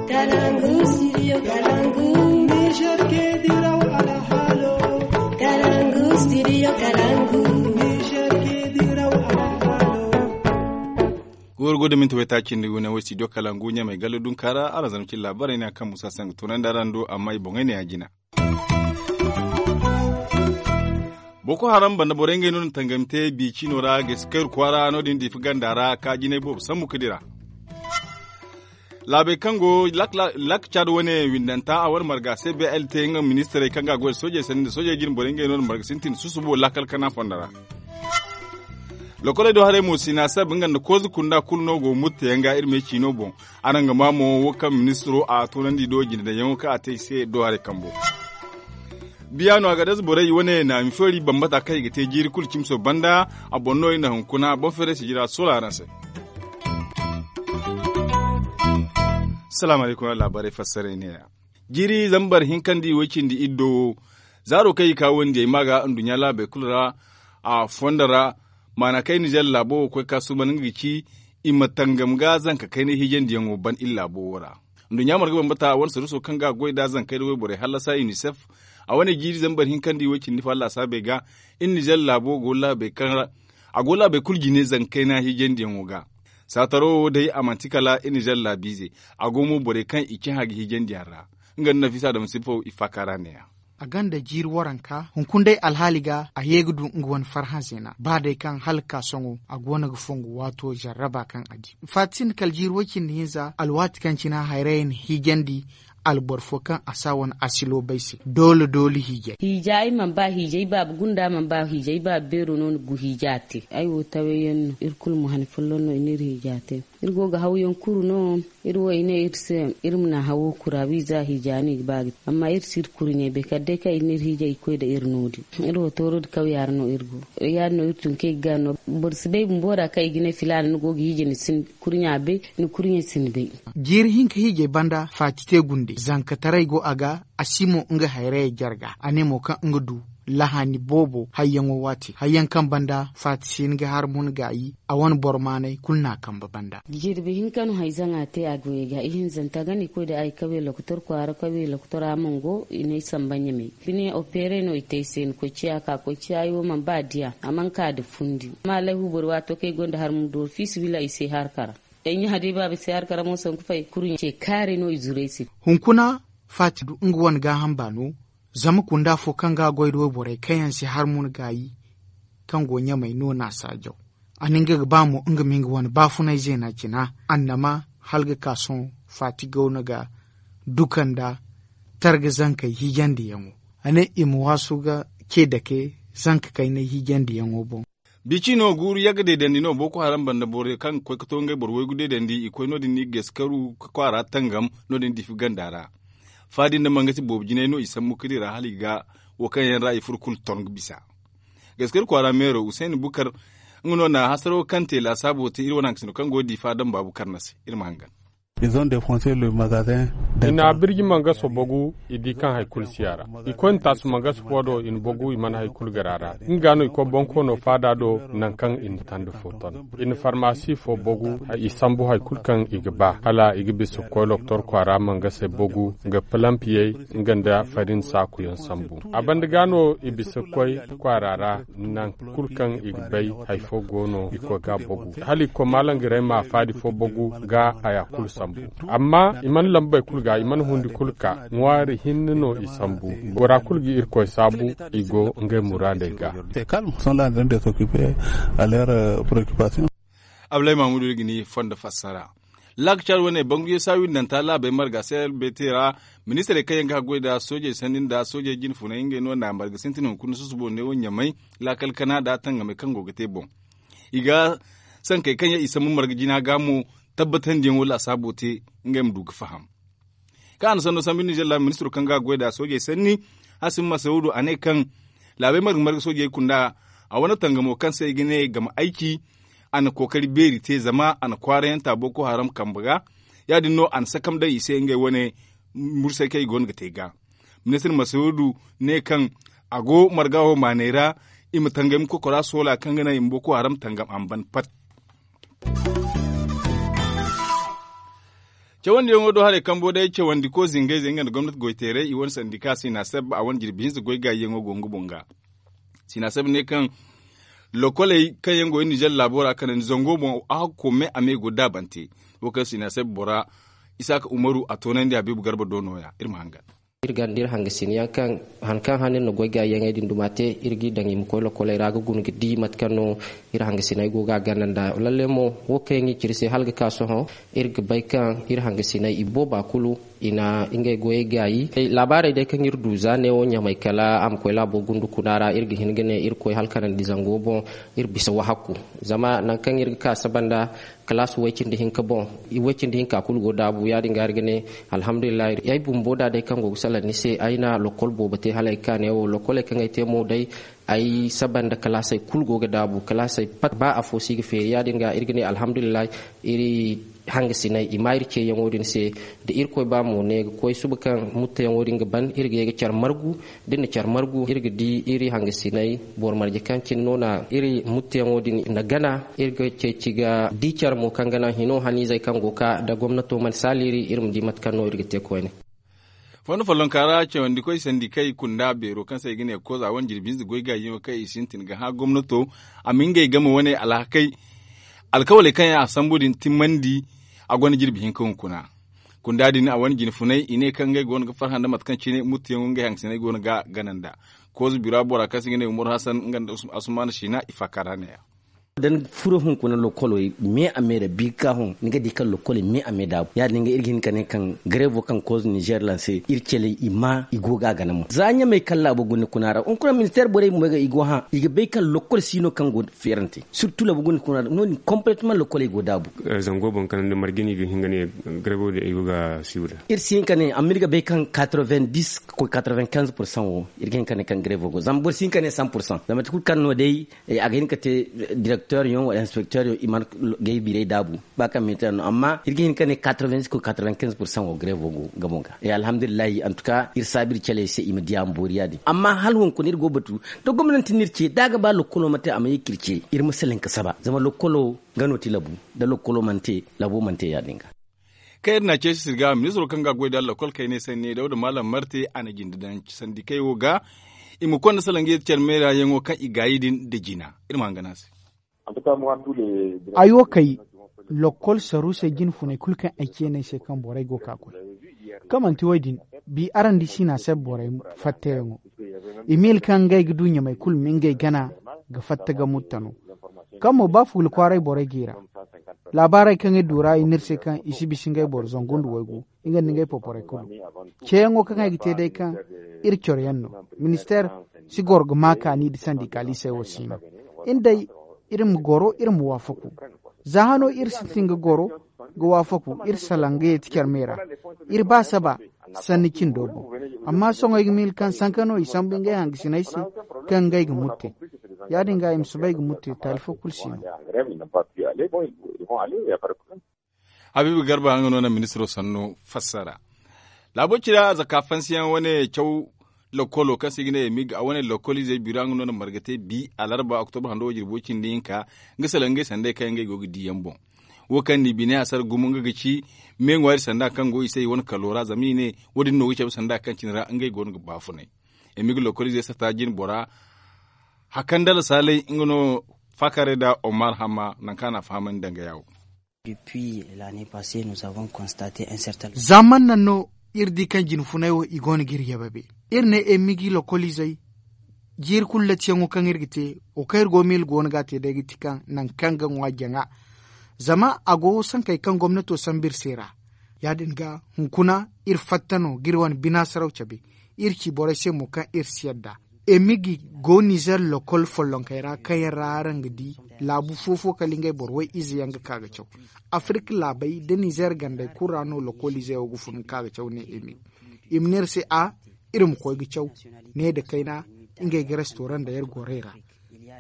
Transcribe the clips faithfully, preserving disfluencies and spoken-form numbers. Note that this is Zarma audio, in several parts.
Kalangu, studio Kalangu. Niger ke diraw alhalo. Kalangu, studio Kalangu. Niger ke diraw alhalo. Goro go da minti wayta cindi gune wo studio Kalangu ɲamay galla dunka ra araŋ zama cin laabaray ne a kaŋ musa sanga tunandi araŋ do amma i boŋey ne a jina. Boko haram banda borey ngey no na tangami te bi ciino ra ga si kayru kwaara no- din diifa ganda ra ka jinay boobo sambu ka dira. Laabey kaŋ go lak caada wane windanta a wane marga se blt nga ministirey kaŋ ga a goy da soojey sanni nda soojey jine borey ngey no na marga sintin susubo laakal kana fondo ra. Lokoley do haray mo sina sab nga nda kooza kunda kulu no go mutteyaŋ ga iri me ciino boŋ. Araŋ ga maa mo wo kaŋ ministiro a toonandi do jine daŋyaŋo kaŋ a te i se do haray kambo. Biya no a ga daza borey wane naami feeri bambata kaŋ i ga te jiiri kulu cimso banda. A boŋ no i na hunkuna boŋ feeray sijira soola araŋ se. Salaamu alaykum, laabaarey fassaray neeya. Jiiri zambar hinkandi way cindi iddo wo zaaro kaŋ i ka wandiyey ma ga nduɲɲa laabey kulu ra. A fondo ra maana kaŋ i na zalla laabo wo koy ka suuban nga ga ci i ma tangam ga zanka kaynay hiijandiyaŋo ban iri laabo wo ra. Nduɲɲa marga bambata wane saruuso kaŋ ga a goy nd'a zankey nda wayborey hallasa unicef a wane jiiri zambar hinkandi way cindi fo allasaabey ga. Iri na zalla laabo go laabey kaŋ ra a go laabey kulu jine zankey na hiijandiyaŋo ga. Saataro wo day a manti kala iri na zalla laabiize. A go mo borey kaŋ i cahã ga hiijandiyaŋ ra nga nda nafisa dama sippo i faaka ra neeya. A gonda jiiri waranka hunkuna day alhaali ga a ye ga du nga wane farhã zeena ba day kaŋ hala ga ka sohõ a go no ga fongu waato zarraba kaŋ a di. Faati sinda kala jiiri way cindi hinza alwaati kaŋ cine hayrayey na hiijandi alboro fo kaŋ a si a wane asilo bay se doole doole hiijay. Hiija ay mana ba hiija ay baaba gunda mana ba hiija ay baaba beero no na gu hiija te. Ay wo tawayyaŋ no iri kulu ma han folloŋ no i na iri hiija te. Iri go ga hawyaŋ kuru no. Iri wo i ne iri se iri ma na hawo kura wiiza hiija no i ga ba ga te amma iri si iri kuru ɲey bay kala day kaŋ i na iri hiija i ga koy nda iri no- din. Iri wo tooro nda kawya ra no iri go. Ya- din no iri tun kaŋ i ga gano boro si bay bumbo ra kaŋ i ga ne filaana ni go ga hiija ni si ni kuru ɲa bay. Ni kuru ɲey si ni bay. Jiiri hinka hiijay banda faati te gunde zankataray go a ga. A si mo nga hayrayey jarga a ne mo kaŋ nga du lahaani boobo hayyaŋo waati hayyaŋ kaŋ banda faati si ni ga harmuna gaayi. A wane boro maanay kulu n'a kambe banda. Jirbi hinka no hayzaŋa te a goyey ga ihinzanta ga no i koy nda ay kawye lokotor kwaara kawye lokotor a mana go i n'ay samba ɲamey. Bine opeere no i te ay se ni koy ciya ka koy ciya ay wo mana ba diya a mana ka nda fundi. Amma alayhu boro waato kaŋ ay gonda harmu do fiisabilillahi i se harka ra. Ay ɲaha day baaba ay se harka ra mo sanku fay kuru ce kaari no i zuru ay se. Hunkuna faati du nga wane gaaham baano. Zama kunda fo kaŋ ga a goy nda wayborey kaŋ yaŋ si harmuna gaayi kaŋ go ɲamey no n'a saajaw. A na nga ga ba mo nga ma nga wane baafunay zeena cina annama hala ga ka sohõ faati gawna ga duka nda targa zankey hiijandiyaŋo. A ne i ma waasu ga ce dake zanka kaynay hiijandiyaŋo boŋ. Bi ciino guuru yagga deedandi no boko haram banda borey kaŋ ga koy ga to ngey boro waygu deedandi i koy no- din i ga gaskaru ga kwaara tangam no- din diifi ganda ra. Faadi nda mangasi boobo jinay no i sambu ka dira hala i ga wo kaŋ yaŋ ra i furo kulu ton ga bisa. Gaskari kwaara meero husayni bukar nga no na hasaro kaŋ te laasaabo te iri wane hankasino kaŋ go ga diifa daŋ baabu karna se. Iri ma hangan. I na birji mangaso bogu i di kaŋ hari kulu si a ra. I koy na taasu mangaso fo do i na bogu i mana hari kulu gar a ra. Nga no i koy bonkoono faada do nangu kaŋ i na tanda fo ton. I na farmasi fo bogu i sambu hari kulu kaŋ i ga ba hala i ga bisa ga koy lokotor kwaara mangasey bogu nga palampiyey nga nda farin saakuyaŋ sambu. A banda ga no i bisa ga koy kwaara ra nangu kulu kaŋ i ga bay hari fo go no i koy ga bogu hala i koy maalangaray ma faadi fo bogu ga haya kulu sambu. Amma i mana lambey kulu ga i mana hundi kulu ka ŋwaari hinne no i sambu. Bora kulu ga irkoy saabu i go ngey muraadey ga. Abulay mamudu iri ga ni fondo fassara. Laaka caadi wane bangu yeesu a windanta laabey marga se albete ra. Ministirey kaŋ yaŋ ga haggoy nda soojey sanni nda soojey jine funay ngey no na marga sintin hunkuna susubo neewo ɲamay laakal kana nda tangamey kaŋ go ga te boŋ. I ga sankey kaŋ yaŋ i sambu marga jina ga mo tabbatandiyaŋo laasaabo te ngey ma du ga faham. Kaŋ a na sanno sambu nizer laabo ministiro kaŋ ga a goy nda soojey sanni, hasim masawudu a ne kaŋ laabey marga marga soojey kunda a wane tangamo kaŋ se i ga ne game ayci. A na kookari beeri te zama a na kwaarayanta boko haram kambe ga. Ya- din no a na sakam daŋ i se ngey wane mursay kaŋ i go no ga te ga. Ministir masawudu ne kaŋ a go marga wo maaney ra i ma tangam kokora soola kaŋ ga naŋ i ma boko haram tangam a ma ban pat. Cawandiyaŋo do haray kambo day cawandiko zingayzey nga nda gomnati goyteeray i wane sandika sinaseb a wane jirbi hinza goy gaayiyaŋo go nga boŋ ga. Sinaseb ne kaŋ lokoley kaŋ yaŋ go iri nizer laabo ra kanandi zango boŋ a hakko me a me go daabante. Wo kaŋ sinaseb bora isaaka umaru a toonandi habiibu garba do nooya iri ma hangan. Iri ganda iri hangasin yaŋ kaŋ han kaŋ han iri na goy gaayiyaŋey din duma te iri g'i daŋ i ma koy lokoley ra ga guna ga di mate kaŋ no iri hangasiney go ga a ganda nda lalle mo wo kaŋ yaŋ i ciri se hala ga ka sohõ. Iri ga bay kaŋ iri hangasiney i booba kulu i na ngey goyey gaayi. Laabaarey day kaŋ iri du za neewo ɲamay kala a ma koy laabo gundu kuna ra iri ga hin ga ne iri koy hala kanandi zango boŋ. Iri bisa wahakku zama nangu kaŋ iri ga ka saba nda kalaas way-cindi hinka boŋ. Way-cindi hinka kulu go daabu ya- din ga iri ga ne alhamdulillahi ay bumbo da day kaŋ go ga salaŋ ni se ay na lokkol boobo te hala ay ga ka neewo lokkoley kaŋ ay te mo day ay saba nda kalaasey kulu go ga daabu kalaasey pat ba afo si ga feeri ya- din ga iri ga ne alhamdulillahi. Iri hangasiney i ma iri ceeyaŋo din se da irkoy ba mo ne ga koy suba kaŋ mutteyaŋo din ga ban iri ga ye ga care margu. Da iri na care margu iri ga di iri hangasiney boro marje kaŋ cine no na iri mutteyaŋo din na gana iri ga ceeci ga di care mo kaŋ ga naŋ hino haniizey kaŋ go ga ka nda gomnato mana saali iri iri ma di mate kaŋ no iri ga te koyne. Fondo follonka ra cawandikoy sandikey kunda beero kaŋ se i ga ne koza wane jirbi hinza goy gaayiyaŋo kaŋ i sintin ga hã gomnato a ma ngey game wane alhakey alkawaley kaŋ yaŋ a sambu din timmandi. A gonda jirbi hinka hunkuna kunda din a wane jinfuney i ne kaŋ ngey go no ga farhã nda mate kaŋ cine muttuyaŋo ngey hangasiney go no ga gana nda. Koza bira bora kaŋ se i ga ne umaru hasan nga nda asumaana siina i faaka ra neeya. Da ni furo hunkuna lokoley me a me ra bi ga ka hõ ni ga di kaŋ lokoley me a me daabu ya- din ga iri ga hin ka ne kaŋ gareevo kaŋ koza nizer lanse iri caley i ma i go ga a gana mo za ɲamey kaŋ laabo guna kuna ra hunkuna ministeer borey bumbo ga i go hã i ga bay kaŋ lokol si no kaŋ go feerante. Sirtu laabo guna kuna ra no- din kompletemaŋ lokoley go daabu. Zango boŋ kaŋ nda marje no i ga hin ga ne gareevo din ay go ga siibu nda. Iri si hin ka ne amma iri ga bay kaŋ quatre-vingt-dix ka koy quatre-vingt-quinze pour cent wo iri ga hin ka ne kaŋ gareevo go zama boro si hin ka ne cent pour cent zama mate kulu kaŋ no day a ga hin ka te direkteer yaŋ wala inspekteer yaŋ i mana gay biirey daabu. Ba kaŋ minteer no amma iri ga hin ka ne quatre-vingt-dix ka koy quatre-vingt-quinze pour cent wo gareevo go nga boŋ ga alhamdulillahi antuka iri saabu iri caley se i ma diya ma boori ya- din amma hala hunkuna iri go ga batu da gomnanti no iri ce da a ga ba lokkolo ma te a ma ye ka iri ce iri ma salaŋ ka saba zama lokkolo nga no ti labu da lokkolo mana te labo mana te ya- din ga. Kaŋ iri n'a ceeci sirga ministiro kaŋ ga a goy nda lakkol kayney sanni dawda maalam marte a na jinde daŋ sandikey wo ga i ma konda salaŋ ga ye care meera yaŋo kaŋ i gaayi din nda jina. Iri ma hangan a se. Ay wo kay lokkol saruusey jinfuney kulu kaŋ ay ce no ay se kaŋ borey go ga ka koy kaŋ manti wo- din bi araŋ di siina se borey fatteyaŋo. I miila kaŋ ngey ga du ɲamey kulu ma ngey gana ga fatta ga mutta no. Kaŋ mo ba fuula kwaaray borey g'i ra laabaarey kaŋ iri du ra i ne iri se kaŋ i si bisa ngey boro zangu nda waygu nga nda ngey poporey kulu. Ceeyaŋo kaŋ ay ga te day kaŋ iri coro yaŋ no ministeer si goro ga ma kaani nda sandikaalisey wo si no. Iri day iri ma goro iri ma waafaku. Za hano iri sintin ga goro ga waafaku iri salaŋ ga yeeti care me ra. Iri ba saba sanni cindo boŋ. Amma sohõ ay ga miila kaŋ sanka no i sambu ngey hangasiney se kaŋ ngey ga mutte. Ya- din ga i ma soobay ga mutte taali fo kulu si no. Habiibu garba nga no na ministiro sannu fassara. Laabo cira zaka fansiyaŋ wane caw lokolo kaŋ se i ga ne emig a wane lokoliizey bira nga no na marga te bi alarba oktobar hando wo jirbo cindi hinka nga salaŋ ngey sanday kaŋ ngey go ga di yaŋ boŋ. Wo kaŋ ni bine a sara gumo nga ga ci me ŋwaari sanda kaŋ go i se i wane kalo ra zama i ne wo- din no ga cabe sanda kaŋ cine ra ngey go no ga baafunay. Emig lokoliizey sata jine bora hakandala saalay nga no faakaaray nda omar hamma nangu kaŋ a na a fahamandi danga yaawo. Za man naŋ no iri di kaŋ jinfunay wo i go no ga iri yababe. Iri ne emigi lokoliizey jiiri kulu latiyaŋo kaŋ iri ga te wo kaŋ iri go miila go no ga a te day ga ti kaŋ nangu kaŋ ga ŋwa jaŋa. Zama a go sankey kaŋ gomnato sambu iri se ra. Ya- din ga hunkuna iri fatta no ga iri wane bina saraw cabe. Iri ci borey se mo kaŋ iri si yadda. Emigi go nizer lokol follonkey ra kaŋ yaŋ ra araŋ ga di laabu fo fo kala ngey boro way ize yaŋ ga ka ga caw. Afirik laabey nda nizer gandey kulu ra no lokoliizey wo ga fun ga ka ga caw ne emigi. I ma ne iri se a iri ma koy ga caw ne nda kayna ngey ga restoran nda yar gorey ra.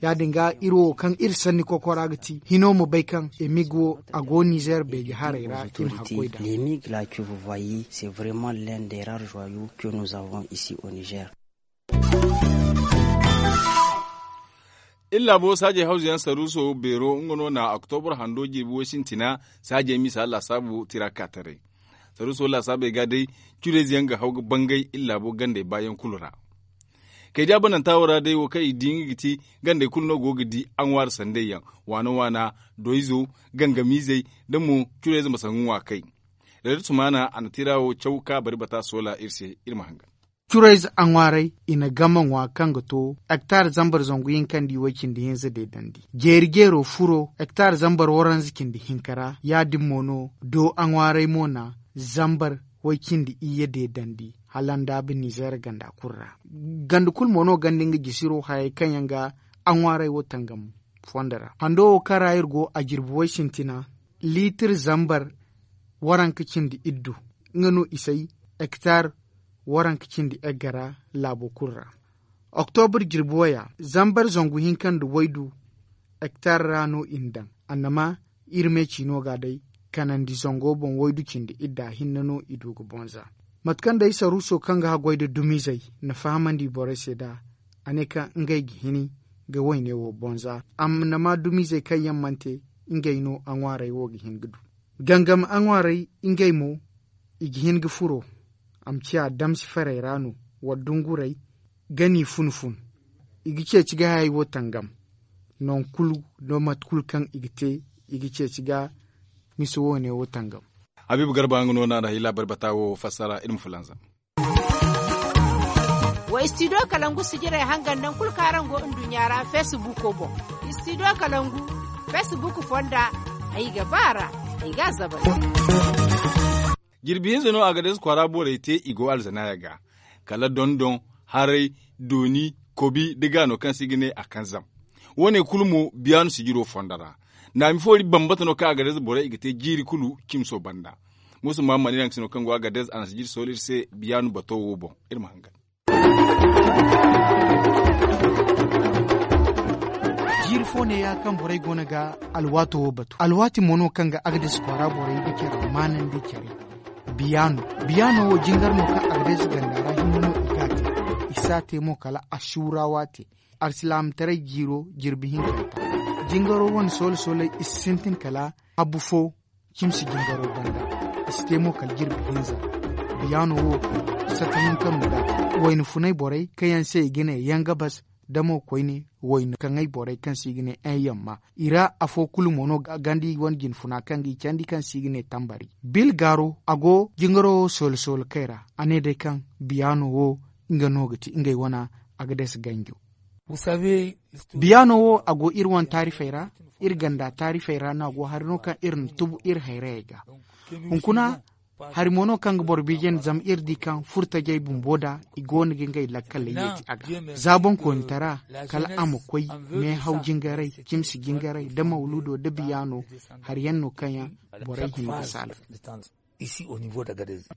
Ya- din ga iri wo kaŋ iri sanni kokora ga ti hino ma bay kaŋ emig wo a go nizer beeje haray ra i ma hakkoy nd'a. L'emig là que vous voyez c'est vraiment l'un des rares joyaux que nous avons ici au nizer. Iri laabo saajey hawzuyaŋ saruuso beero nga no na oktobar hando jirbi way sintina saajey misa laasaabu tira kaataray. Saruuso laasaabey ga day, curayze yaŋ ga haw ga bangay iri laabo gandey baayaŋ kulu ra. Kay da bananta wo ra day wo kaŋ i di nga ga ti gandey kulu no go ga di aŋwaari sandey yaŋ, waana waana, doyzo, gangamiizey, da mo curayze ma sangu ŋwa kay. Reed sumaana a na tira wo caw ka bari bata soola iri se iri ma hangan. Curayze aŋwaarey i na game ŋwa kaŋ ga to hektar zambar zangu hinka nda i way cindi hinza deedandi. Jeeri jeero furo hektar zambar waranza cindi hinka ra ya- din mo no do aŋwaarey mo na zambar way cindi iyye deedandi hala ndaabu nizeer ganda kulu ra. Ganda kulu mo no gonda nga jisiro hayey kaŋ yaŋ ga aŋwaarey wo tangam fondo ra. Hando wo kaŋ ra iri go a jirbi way sintina liitir zambar waranka cindi iddu nga no i say hektar waranka cindi egga ra laabo kulu ra. Oktobur jirbi waya zambar zangu hinka nda waydu hektar ra no i na daŋ. Annama iri me ciino ga day kanandi zango boŋ waydu cindi idda hinne no i du ga bonza. Mate kaŋ day saruuso kaŋ ga haggoy nda dumiizey na fahamandi borey se nd'a a ne kaŋ ngey ga hini ga wayne wo bonza. Annama dumiizey kaŋ yaŋ mana te ngey no aŋwaarey wo ga hin ga du. Gangam aŋwaarey ngey mo i ga hin ga furo a ma ciya damsi farey ra no wala dungurey ga n'i fun-fun. I ga ceeci ga hayey wo tangam. Nangu kulu nda mate kulu kaŋ i ga te i ga ceeci ga misa woone wo tangam. Habiibu garba nga no naŋ a ra hay laabari bata wo fassara iri ma fulanzam. Wa istidiyo kalangu sijirey hangan nangu kulu kaŋ araŋ go nduɲɲa ra feesibuuko boŋ. Istidiyo kalangu feesibuuku fonda ay ga ba a ra ay ga a zabari. Jirbi hinza no a ga deesa kwaara borey te i go alzanaaya ga kala dondon, haray, dooni, kobi nda gaano kaŋ se i ga ne a kanzam. Wo- ne kulu mo biyaanu sijiro fondo ra. Naami foori bambata no kaŋ a ga deesa borey i ga te jiiri kulu cimso banda. Muusa muhammad iri hanka se no kaŋ go a ga deesa a na sijiri sohõ iri se biyaanu bato wo boŋ. Iri ma hangan. Jiiri fo neeya kaŋ borey go no ga alwaato wo batu alwaati mo no kaŋ ga agades kwaara borey ga care maanandi care. Biyaano biyaano wo jingar no kaŋ agades ganda ra hinne no i ga a te. I si a te mo kala asuura waate. Alsilaamataray jiiro jirbi hinkanta jingaro wane soole sooley i si sintin kala habu fo. Cimsi jingaro banda i si te mo kala jirbi hinza. Biyaano wo sata hinka no ga wayna funay borey kaŋ yaŋ se i ga ne yangabas da mo koyne wayna kaŋay borey kaŋ se i ga ne yaŋ yamma. I ra afo kulu mo no gandi wane jinfuna kaŋ ga i candi kaŋ se i ga ne tambari. Bil gaaro a go jingaro wo soolo soolo kay ra a ne day kaŋ biyaano wo nga no ga ti ngey wana a ga dasa ganjo. Biyaano wo a go iri wane taarifey ra. Iri ganda taarifey ra no a go hari no kaŋ iri na tubu iri hayrayey ga. Hunkuna hari mo no kaŋ ga boro biijandi zama iri di kaŋ furtajey bumbo da i go no ga ngey lakkaley yeeti a ga. Za boŋkoonitara kala a ma koy meehaw jingaray, cimsi jingaray nda mawludo nda biyaano. Hari yaŋ no kaŋ yaŋ borey hin ga saala.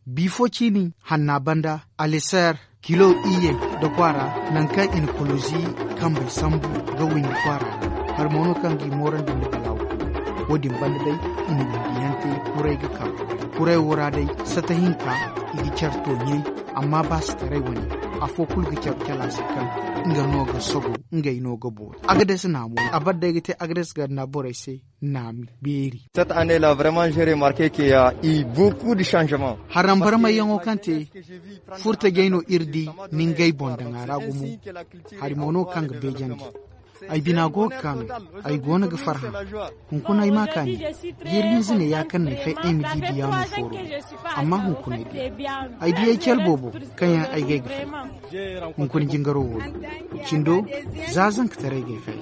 Bifo ciini hanna banda aliser kilo iyye nda kwaara nangu kaŋ i na kolozi kambey sambu ga windi kwaara ra. Hari mo no kaŋ ga i moorandi nda balaawo. Wo- din banda day i na windiyaŋ te kuray ga kaŋ kuray wo ra day sata hinka i ga care to ɲey. Amma baasitaray wane afo kulu ga care cala se kaŋ nga no ga sogo ngey no ga boori agades naamo. A bar day ga te agades ganda borey se naami beeri. Cette année là vraiment j'ai remarqué que ya i beaucoup de changement. Harambarmayyaŋo kaŋ te furtajey no iri di ni ngey boŋ daŋ a ra gumo. Hari mo no kaŋ ga beejandi. Ay bina go ga kaanu. Ay go no ga farhã. Hunkuna ay ma kaani. Jiiri hinza ne ya kaŋ ne fay ay ma di biyaano fooro. Amma hunkuna ay di ay di ay care boobo kaŋ yaŋ ay ga ay ga fay. Hunkuna jingaro wo cindo za zankataray ga ay fay.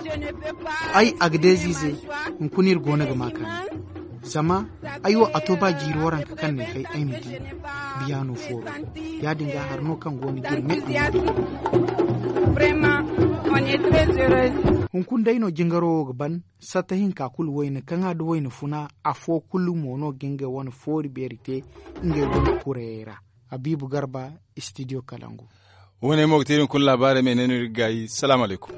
Ay agadeziizey hunkuna iri go no ga ma kaani. Zama ay wo a to ba jiiri waranka kaŋ ne fay ay ma di biyaano fooro. Ya- din ga hari no kaŋ go no ga iri me. Hunkuna day no jingaro wo ga ban. Satta hinka kulu wayna kaŋ a da wayna funa afo kulu mo no ga ngey wane foori beeri te. Ngey wane kurayey ra. Habiibu garba istidiyo kalangu. Wo- ne mo ga te iri hunkuna laabaarey ma i ne no iri ga gaayi salaamu alaykum.